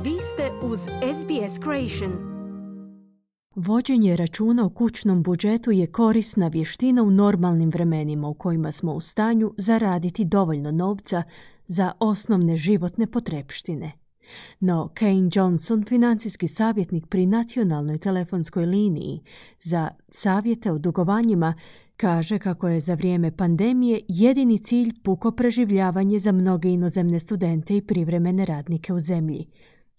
Vi ste uz SBS Creation. Vođenje računa o kućnom budžetu je korisna vještina u normalnim vremenima u kojima smo u stanju zaraditi dovoljno novca za osnovne životne potrepštine. No, Kane Johnson, financijski savjetnik pri nacionalnoj telefonskoj liniji za savjete o dugovanjima, kaže kako je za vrijeme pandemije jedini cilj puko preživljavanje za mnoge inozemne studente i privremene radnike u zemlji,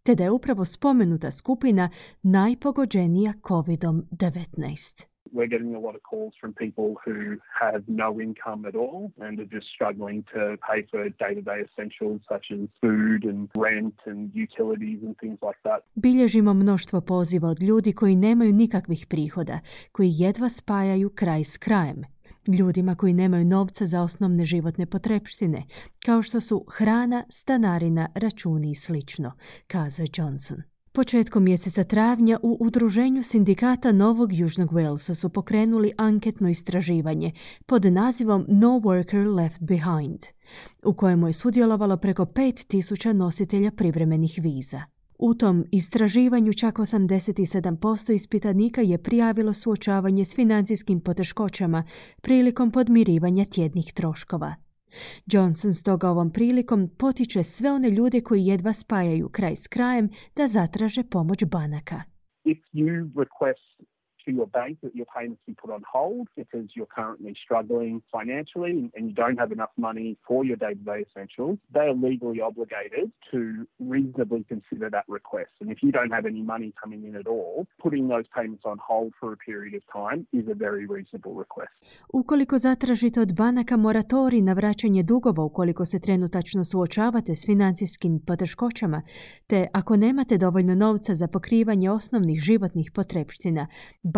te da je upravo spomenuta skupina najpogođenija COVID-19. We're getting a lot of calls from people who have no income at all and are just struggling to pay for day-to-day essentials such as food and rent and utilities and things like that. Bilježimo mnoštvo poziva od ljudi koji nemaju nikakvih prihoda, koji jedva spajaju kraj s krajem. Ljudima koji nemaju novca za osnovne životne potrepštine, kao što su hrana, stanarina, računi i slično, kazao Johnson. Početkom mjeseca travnja u Udruženju sindikata Novog Južnog Walesa su pokrenuli anketno istraživanje pod nazivom No Worker Left Behind, u kojemu je sudjelovalo preko 5.000 nositelja privremenih viza. U tom istraživanju čak 87% ispitanika je prijavilo suočavanje s financijskim poteškoćama prilikom podmirivanja tjednih troškova. Johnson stoga ovom prilikom potiče sve one ljude koji jedva spajaju kraj s krajem da zatraže pomoć banaka. If you request to your bank that your payments be put on hold because you're currently struggling financially and you don't have enough money for your day-to-day essentials, they are legally obligated to reasonably consider that request. And if you don't have any money coming in at all, putting those payments on hold for a period of time is a very reasonable request. Ukoliko zatražite od banaka moratorij na vraćanje dugova ukoliko se trenutačno suočavate s financijskim poteškoćama, te ako nemate dovoljno novca za pokrivanje osnovnih životnih potrepština,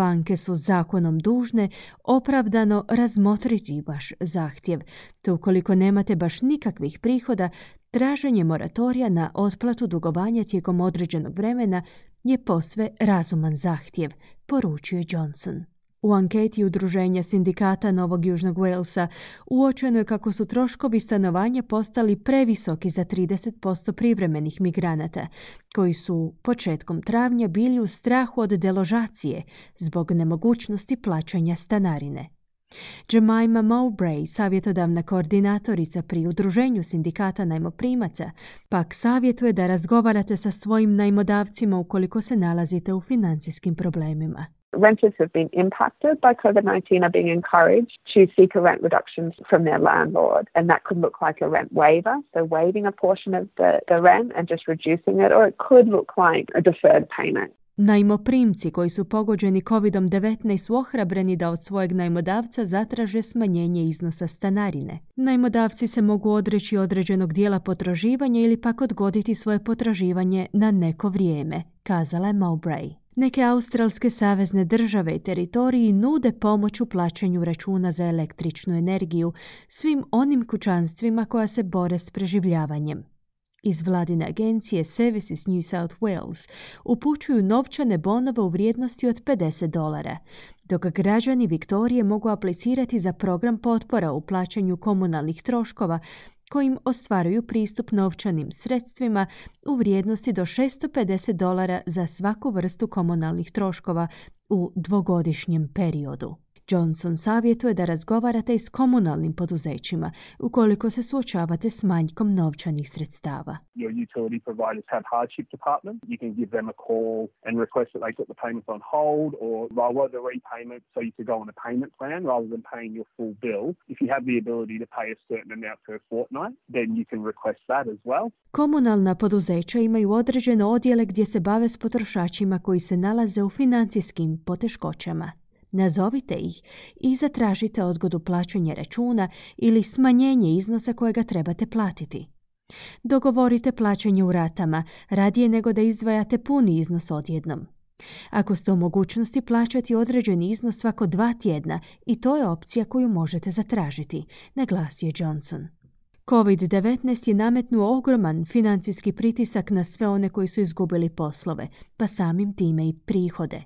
banke su zakonom dužne opravdano razmotriti vaš zahtjev, te ukoliko nemate baš nikakvih prihoda, traženje moratorija na otplatu dugovanja tijekom određenog vremena je posve razuman zahtjev, poručuje Johnson. U anketi Udruženja sindikata Novog Južnog Walesa uočeno je kako su troškovi stanovanja postali previsoki za 30% privremenih migranata, koji su početkom travnja bili u strahu od deložacije zbog nemogućnosti plaćanja stanarine. Jemima Mowbray, savjetodavna koordinatorica pri Udruženju sindikata najmoprimaca, pak savjetuje da razgovarate sa svojim najmodavcima ukoliko se nalazite u financijskim problemima. Renters have been impacted by COVID-19 are being encouraged to seek a rent reduction from their landlord, and that could look like a rent waiver, so waiving a portion of the rent and just reducing it, or it could look like a deferred payment. Najmoprimci koji su pogođeni COVID-19 su ohrabreni da od svojeg najmodavca zatraže smanjenje iznosa stanarine. Najmodavci se mogu odreći određenog dijela potraživanja ili pak odgoditi svoje potraživanje na neko vrijeme, kazala je Mowbray. Neke australske savezne države i teritoriji nude pomoć u plaćanju računa za električnu energiju svim onim kućanstvima koja se bore s preživljavanjem. Iz vladine agencije Services New South Wales upućuju novčane bonove u vrijednosti od $50, dok građani Viktorije mogu aplicirati za program potpora u plaćanju komunalnih troškova kojim ostvaruju pristup novčanim sredstvima u vrijednosti do $650 za svaku vrstu komunalnih troškova u dvogodišnjem periodu. Johnson savjetuje da razgovarate i s komunalnim poduzećima ukoliko se suočavate s manjkom novčanih sredstava. Your utility providers have hardship departments. You can give them a call and request that they put the payments on hold or lower the repayment so you could go on a payment plan rather than paying your full bill. If you have the ability to pay a certain amount per fortnight, then you can request that as well. Komunalna poduzeća imaju određene odjele gdje se bave s potrošačima koji se nalaze u financijskim poteškoćama. Nazovite ih i zatražite odgodu plaćanja računa ili smanjenje iznosa kojega trebate platiti. Dogovorite plaćanje u ratama, radije nego da izdvajate puni iznos odjednom. Ako ste u mogućnosti plaćati određeni iznos svako 2 tjedna, i to je opcija koju možete zatražiti, naglasio Johnson. COVID-19 je nametnuo ogroman financijski pritisak na sve one koji su izgubili poslove, pa samim time i prihode.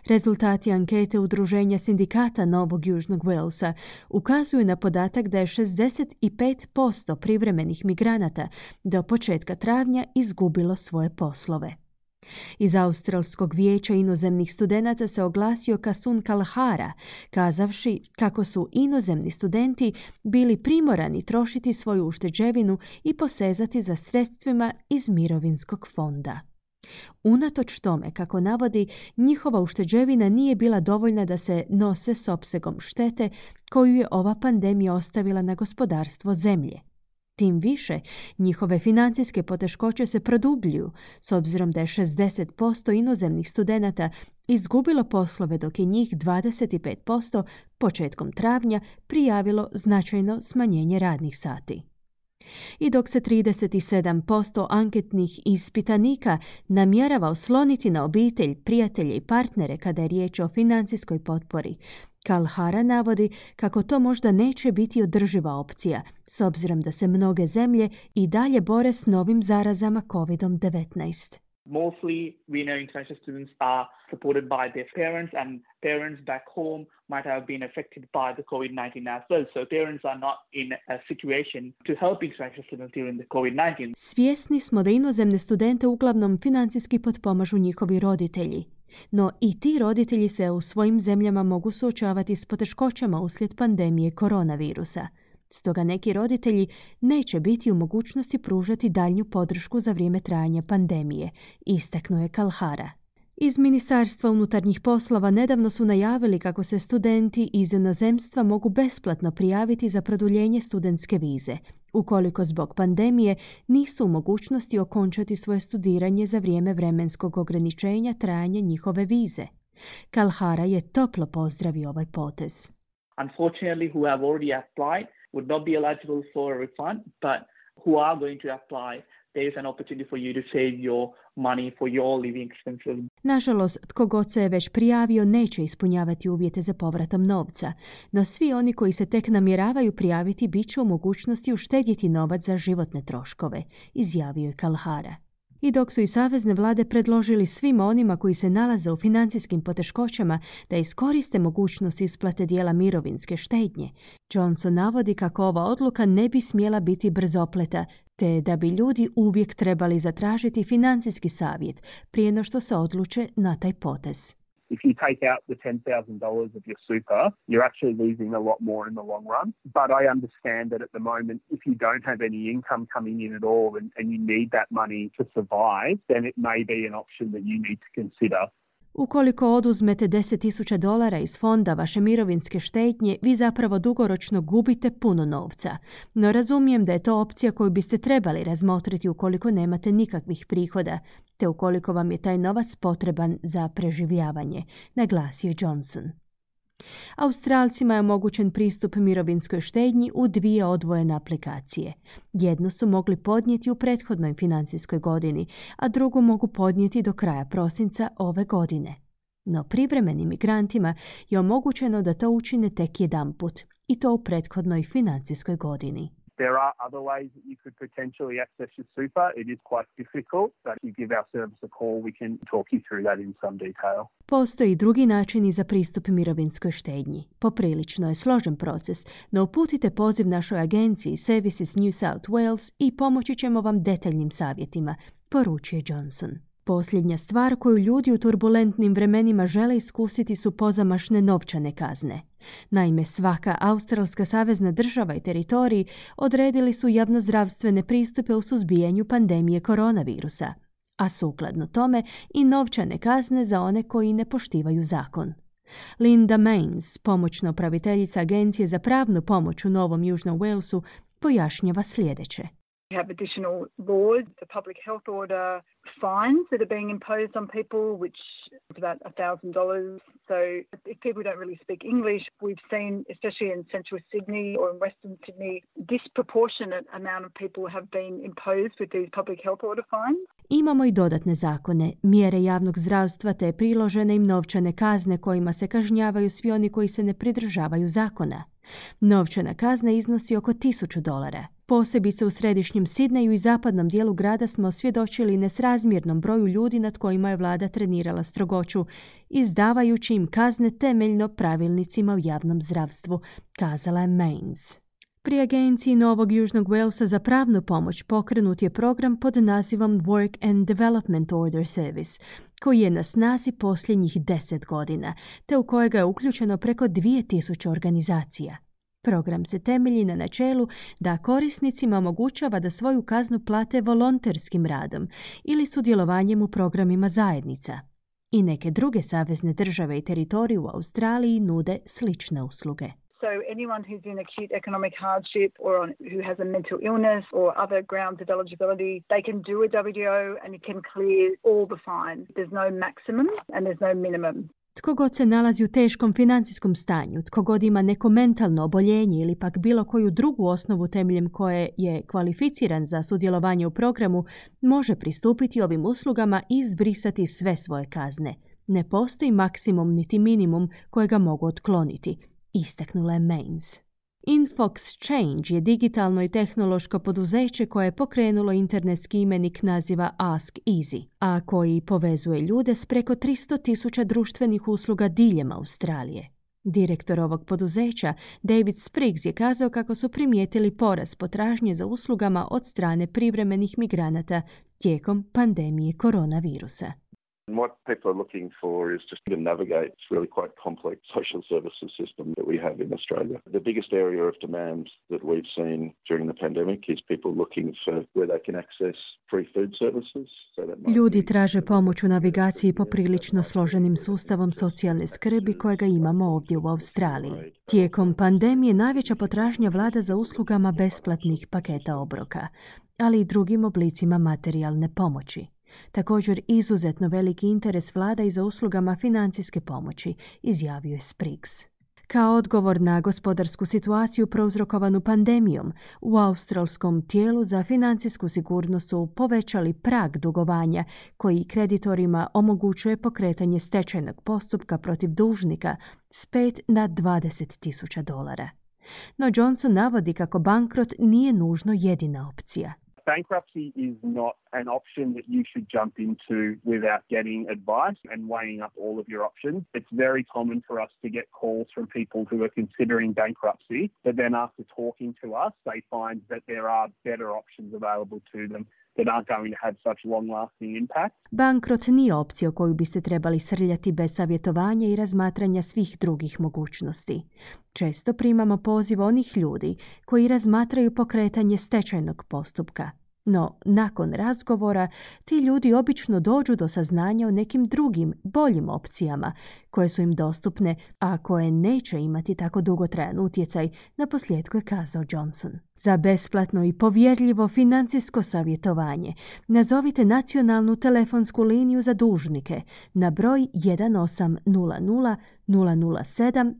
Rezultati ankete Udruženja sindikata Novog Južnog Walesa ukazuju na podatak da je 65% privremenih migranata do početka travnja izgubilo svoje poslove. Iz Australskog vijeća inozemnih studenata se oglasio Kasun Kalahara, kazavši kako su inozemni studenti bili primorani trošiti svoju ušteđevinu i posezati za sredstvima iz mirovinskog fonda. Unatoč tome, kako navodi, njihova ušteđevina nije bila dovoljna da se nose s opsegom štete koju je ova pandemija ostavila na gospodarstvo zemlje. Tim više, njihove financijske poteškoće se produbljuju, s obzirom da je 60% inozemnih studenata izgubilo poslove, dok je njih 25% početkom travnja prijavilo značajno smanjenje radnih sati. I dok se 37% anketnih ispitanika namjerava osloniti na obitelj, prijatelje i partnere kada je riječ o financijskoj potpori, Kalahara navodi kako to možda neće biti održiva opcija, s obzirom da se mnoge zemlje i dalje bore s novim zarazama COVID-19. Mostly, we know international students are supported by their parents, and parents back home might have been affected by the COVID-19 as well. So parents are not in a situation to help international students during the COVID-19. Svjesni smo da inozemne studente uglavnom financijski potpomažu njihovi roditelji. No i ti roditelji se u svojim zemljama mogu suočavati s poteškoćama uslijed pandemije koronavirusa. Stoga neki roditelji neće biti u mogućnosti pružati daljnju podršku za vrijeme trajanja pandemije, istaknuo je Kalahara. Iz Ministarstva unutarnjih poslova nedavno su najavili kako se studenti iz inozemstva mogu besplatno prijaviti za produljenje studentske vize, ukoliko zbog pandemije nisu u mogućnosti okončati svoje studiranje za vrijeme vremenskog ograničenja trajanja njihove vize. Kalahara je toplo pozdravio ovaj potez. Unfortunately, who have already applied would not be eligible for a refund, but who are going to apply, there is an opportunity for you to save your money for your living expenses. Nažalost, tko god se je već prijavio neće ispunjavati uvjete za povratom novca, no svi oni koji se tek namjeravaju prijaviti bit će u mogućnosti uštedjeti novac za životne troškove, izjavio je Kalahara. I dok su i savezne vlade predložili svima onima koji se nalaze u financijskim poteškoćama da iskoriste mogućnost isplate dijela mirovinske štednje, Johnson navodi kako ova odluka ne bi smjela biti brzopleta, te da bi ljudi uvijek trebali zatražiti financijski savjet prije no što se odluče na taj potez. If you take out the $10,000 of your super, you're actually losing a lot more in the long run. But I understand that at the moment, if you don't have any income coming in at all and you need that money to survive, then it may be an option that you need to consider. Ukoliko oduzmete $10,000 iz fonda vaše mirovinske štednje, vi zapravo dugoročno gubite puno novca. No razumijem da je to opcija koju biste trebali razmotriti ukoliko nemate nikakvih prihoda, te ukoliko vam je taj novac potreban za preživljavanje, naglasio Johnson. Australcima je omogućen pristup mirovinskoj štednji u 2 odvojene aplikacije. Jednu su mogli podnijeti u prethodnoj financijskoj godini, a drugu mogu podnijeti do kraja prosinca ove godine. No privremenim migrantima je omogućeno da to učine tek jedanput, i to u prethodnoj financijskoj godini. There are other ways that you could potentially access your super. It is quite difficult, but if you give our service a call, we can talk you through that in some detail. Postoji i drugi načini za pristup mirovinskoj štednji. Poprilično je složen proces, no uputite poziv našoj agenciji Services New South Wales i pomoći ćemo vam detaljnim savjetima, poručuje Johnson. Posljednja stvar koju ljudi u turbulentnim vremenima žele iskusiti su pozamašne novčane kazne. Naime, svaka australska savezna država i teritorij odredili su javnozdravstvene pristupe u suzbijanju pandemije koronavirusa, a sukladno tome i novčane kazne za one koji ne poštivaju zakon. Linda Mains, pomoćna upraviteljica Agencije za pravnu pomoć u Novom Južnom Walesu, pojašnjava sljedeće. We have additional laws, the public health order fines that are being imposed on people, which is about $1,000. So if people don't really speak English, we've seen, especially in central Sydney or in western Sydney, disproportionate amount of people have been imposed with these public health order fines. Imamo i dodatne zakone, mjere javnog zdravstva te priložene im novčane kazne kojima se kažnjavaju svi oni koji se ne pridržavaju zakona. Novčana kazna iznosi oko $1,000. Posebice u središnjem Sidneju i zapadnom dijelu grada smo svjedočili nesrazmjernom broju ljudi nad kojima je vlada trenirala strogoću, izdavajući im kazne temeljno pravilnicima u javnom zdravstvu, kazala je Mains. Pri agenciji Novog Južnog Walesa za pravnu pomoć pokrenut je program pod nazivom Work and Development Order Service, koji je na snazi posljednjih 10 godina, te u kojega je uključeno preko 2000 organizacija. Program se temelji na načelu da korisnicima omogućava da svoju kaznu plate volonterskim radom ili sudjelovanjem u programima zajednica. I neke druge savezne države i teritoriji u Australiji nude slične usluge. So anyone who's in acute economic hardship or who has a mental illness or other grounds of eligibility, they can do a WDO and it can clear all the fines. There's no maximum and there's no minimum. Tko god se nalazi u teškom financijskom stanju, tko god ima neko mentalno oboljenje ili pak bilo koju drugu osnovu temeljem koje je kvalificiran za sudjelovanje u programu, može pristupiti ovim uslugama i izbrisati sve svoje kazne. Ne postoji maksimum niti minimum kojega mogu otkloniti, istaknula je Mains. InfoXchange je digitalno i tehnološko poduzeće koje je pokrenulo internetski imenik naziva Ask Easy, a koji povezuje ljude s preko 300.000 društvenih usluga diljem Australije. Direktor ovog poduzeća, David Spriggs, je kazao kako su primijetili porast potražnje za uslugama od strane privremenih migranata tijekom pandemije koronavirusa. And what people are looking for is just to navigate this really quite complex social services system that we have in Australia. The biggest area of demand that we've seen during the pandemic is people looking for where they can access free food services. Ljudi traže pomoć u navigaciji poprilično složenim sustavom socijalne skrbi kojega imamo ovdje u Australiji. Tijekom pandemije najveća potražnja vlada za uslugama besplatnih paketa obroka, ali i drugim oblicima materijalne pomoći. Također izuzetno veliki interes vlada i za uslugama financijske pomoći, izjavio je Spriggs. Kao odgovor na gospodarsku situaciju prouzrokovanu pandemijom, u australskom tijelu za financijsku sigurnost su povećali prag dugovanja koji kreditorima omogućuje pokretanje stečajnog postupka protiv dužnika s $5 na $20,000. No Johnson navodi kako bankrot nije nužno jedina opcija. Bankruptcy is not an option that you should jump into without getting advice and weighing up all of your options. It's very common for us to get calls from people who are considering bankruptcy, but then after talking to us, they find that there are better options available to them that aren't going to have such long-lasting impact. Bankrot nije opcija koju biste trebali srljati bez savjetovanja i razmatranja svih drugih mogućnosti. Često primamo poziv onih ljudi koji razmatraju pokretanje stečajnog postupka. No, nakon razgovora, ti ljudi obično dođu do saznanja o nekim drugim, boljim opcijama koje su im dostupne, a koje neće imati tako dugotrajan utjecaj, naposljetku je kazao Johnson. Za besplatno i povjerljivo financijsko savjetovanje nazovite nacionalnu telefonsku liniju za dužnike na broj 1800 007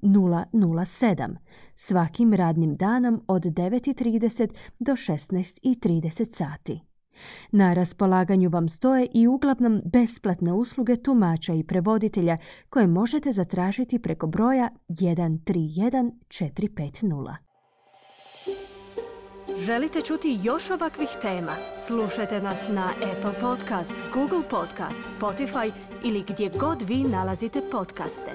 007 svakim radnim danom od 9:30 do 16:30 sati. Na raspolaganju vam stoje i uglavnom besplatne usluge tumača i prevoditelja koje možete zatražiti preko broja 131450. Želite čuti još ovakvih tema? Slušajte nas na Apple Podcast, Google Podcast, Spotify ili gdje god vi nalazite podcaste.